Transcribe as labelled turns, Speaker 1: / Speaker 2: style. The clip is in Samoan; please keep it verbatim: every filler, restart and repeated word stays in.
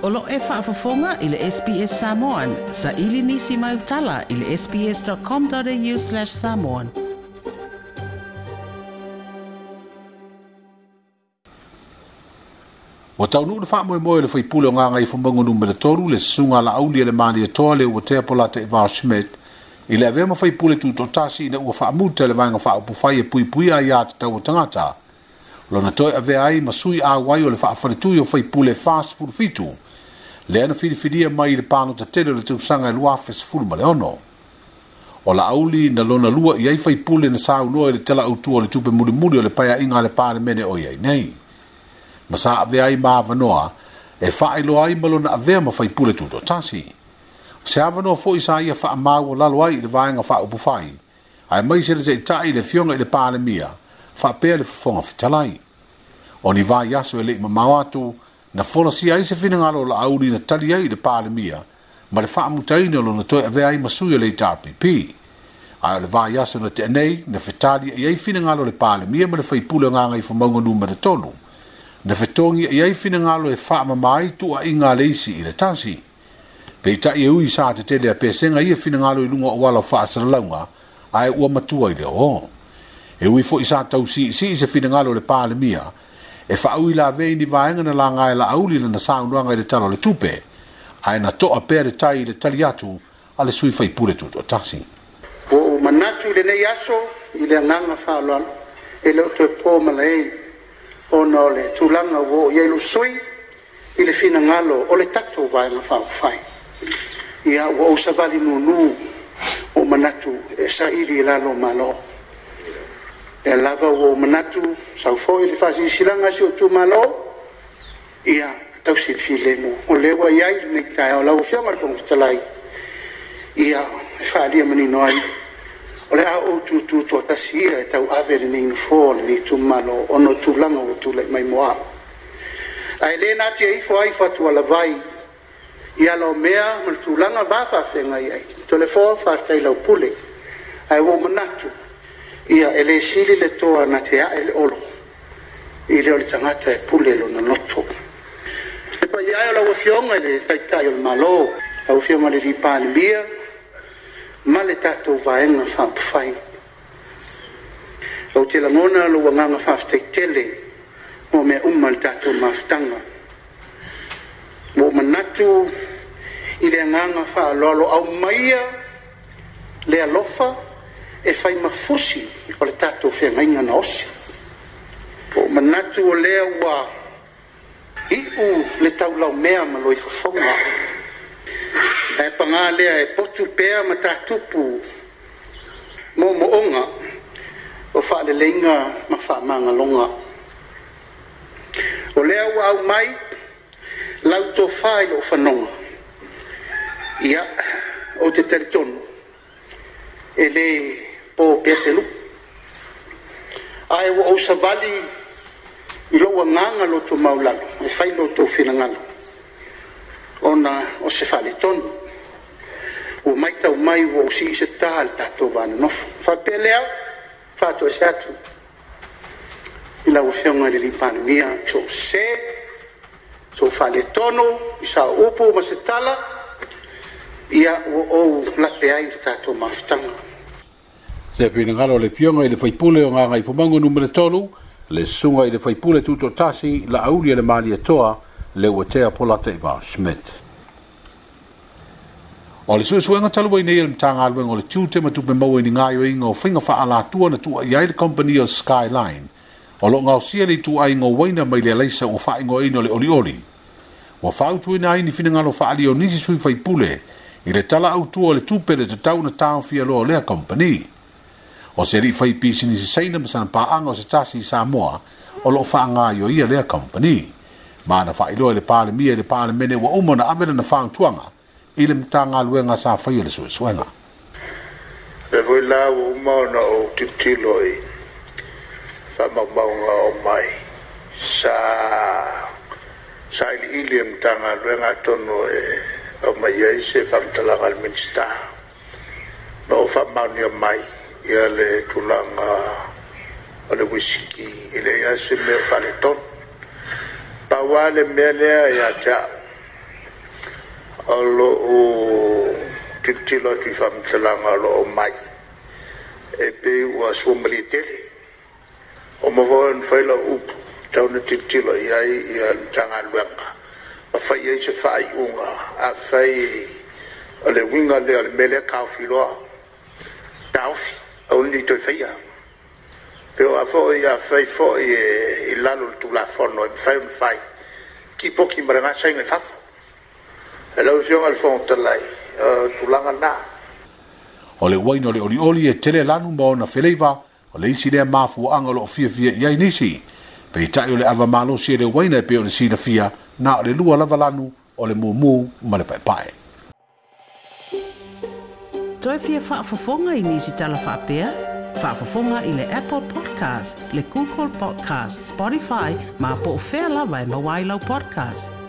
Speaker 1: O lo e faafofoga i le S B S Samoan, sa ili nisi mai utala i le sbs.com.au slash samoan.
Speaker 2: Ua taunuu le faamoemoe le faipule o Gagaifomauga numera tolu le susuga Laauli e le Malietoa le ua tea Polataivao Schmidt i le avea ma faipule tutoatasi ina ua faamuta le vaega faaupufai e puipuia ai tatau o tagata. Lona toe avea ai ma sui auai o le faafaletui o faipule fa fitu lea na filifilia mai i le palota tele o le tausaga e lua afe sefulu ma le ono. O Laauli na lona lua i ai faipule na saunoa i le tala autua o le tupe mulimuli o le paeaiga a le Palemene o i ai nei. Ma sa avea ai ma avanoa e faailoa ai ma lona avea ma faipule tutoatasi. Se avanoa foi sa ia faamau o lalo ai i le vaega faaupufai, ae mai se le taitai i le afioga i le Palemia, faapea le fofoga fetalai. O ni vai aso e lei mamao atu, na folasia ai se finagalo o Laauli na tali ai i le Palemia, ma le faamutaina o lona toe avea ai ma sui o le H R P P. Ae o le vai aso na tea nei, na fetali ai ai finagalo o le Palemia ma le faipule o Gagaifomauga numera tolu. Na fetogi ai ai finagalo e faamama ai tuuaiga a le isi i le tasi. Peitai e ui sa tetele a pesenga ia finagalo i luga o ala o faasalalauga, ae ua matua i le oo. E ui foi sa tausiisii se finagalo o le Palemia, e faaui lavei ni vaega na laga e Laauli lana saunoaga i le tala o le tupe, ae na toa pea le tai i le tali atu a le sui faipule tutoatasi.
Speaker 3: Ua ou manatu i lenei aso i le agaga faaaloalo e le o toe po malae ona o le tulaga ua oo i ai lou sui i le finagalo o le tatou vaega faaupufai. Ia ua ou savali nunu o manatu e saili i lalo o Malo. E lava ua ou manatu sau foi le faasilasila si o itumalo, ia tausi le filemu. O lea ua i ai lenei taeao lau Afioga i le Fofoga Fetalai, ia e faaalia manino ai o le a ou tutu toatasi ia e tauave lenei nofoa o lenei itumalo ona o tulaga ua tulai mai mo au. Ae le natia ifo ai fatualavai i ala o mea ma le tulaga va faafeagai ai. Toleafoa, faafetai lau pule. Ae ua ou manatu, ia e le sili le toa na te ae le olo i le o le tagata e pule lona loto. E paia ai o lau Afioga i le Taitai o le Malo, lau Afioga i le Palemia, ma le tatou vaega faaupufai. Ou te lagona lou agaga faafetai tele mo mea uma le tatou mafutaga. Ua ou manatu i le agaga faaaloalo aumaia le alofa e fai mafusi o le tatou feagaiga na osi. Ua ou manatu o lea ua iu le taulaumea ma loifofoga. Ae paga lea e potu pea ma tatupu moomooga o faaleleiga ma faamagaloga. O lea ua aumai lau tofa i lou fanoga. Ia, ou te talitonu e le po pea se lu'u. Ae ua ou savali i lou agaga loto maulalo e fai lo outou finagalo ona o se faaletonu. Ua maitau mai ua ou sii se tā le tatou vanonofo. Faapea lea, faatoese atu i lau Afioga i le Palemia, so se, so faaletonu, i sa upu ma se tala, ia ua ou lape ai le tatou mafutaga.
Speaker 2: Se finagalo o le Afioga i le faipule o Gagaifomauga numera tolu, le susuga i le faipule tutoatasi Laauli e le Malietoa le ua tea Polataivao Schmidt. O le suesuega talu ai nei e le Matagaluega o le Tiute ma Tupe Maua i ni gaoioiga o faiga faaalatua na tuuai ai le kompani o Skyline, o loo gaosia le ituaiga o uaina mai le alaisa ua faaigoaina o le olioli. Ua fautuaina ai ni finagalo faaalia o nisi sui faipule i le tala autua o le tupe le tatau na taofia loa o lea kompani. O se alii fai pisinisi Saina ma sana paaga o se tasi i Samoa o loo faagaoioia lea kompani. Ma na faailoa i le Palemia i le Palemene ua uma na ave lana fautuaga i le Matagaluega sa faia le suesuega.
Speaker 4: E foi la ua uma ona ou tilotilo i faamaumauga o mai sa sailiili e Matagaluega atonu e aumai ai se faamatalaga a le Minisita na ou faamaonia mai ia le tulaga o le uisiki e leai lava se mea o faaletonu. Pau lava le mea lea ia te au O lou tilotilo atu i faamatalaga o lo o aumai, e pei ua suamalie tele. Ua uma foi ona fai lau upu, e tatau ona tilotilo i ai le Matagaluega ma fai i ai se faaiuga. Afai o le uiga lea o le mea lea, taofi loa, taofi, aua ne i toe faia. Pe a foi afai foi e i lalo o le Tulafono e mafai ona fai, tipoti ma lena saina i fafo. Lau Afioga i le Fofoga Fetalai, o le tulaga lena.
Speaker 2: O le uaina o le olioli e tele lanu ma ona feleiva, o le isi lea mafuaaga o loo fiafia i ai nisi. Peitai o le ava malosi e le uaina e pei o le silafia, na o le lua lava lanu, o le mumu ma le paepae.
Speaker 1: Toe fia faafofoga i nisi tala faapea? Faafofoga i le Apple Podcast, le Google Podcast, Spotify, ma po o fea lava e maua ai lau podcast.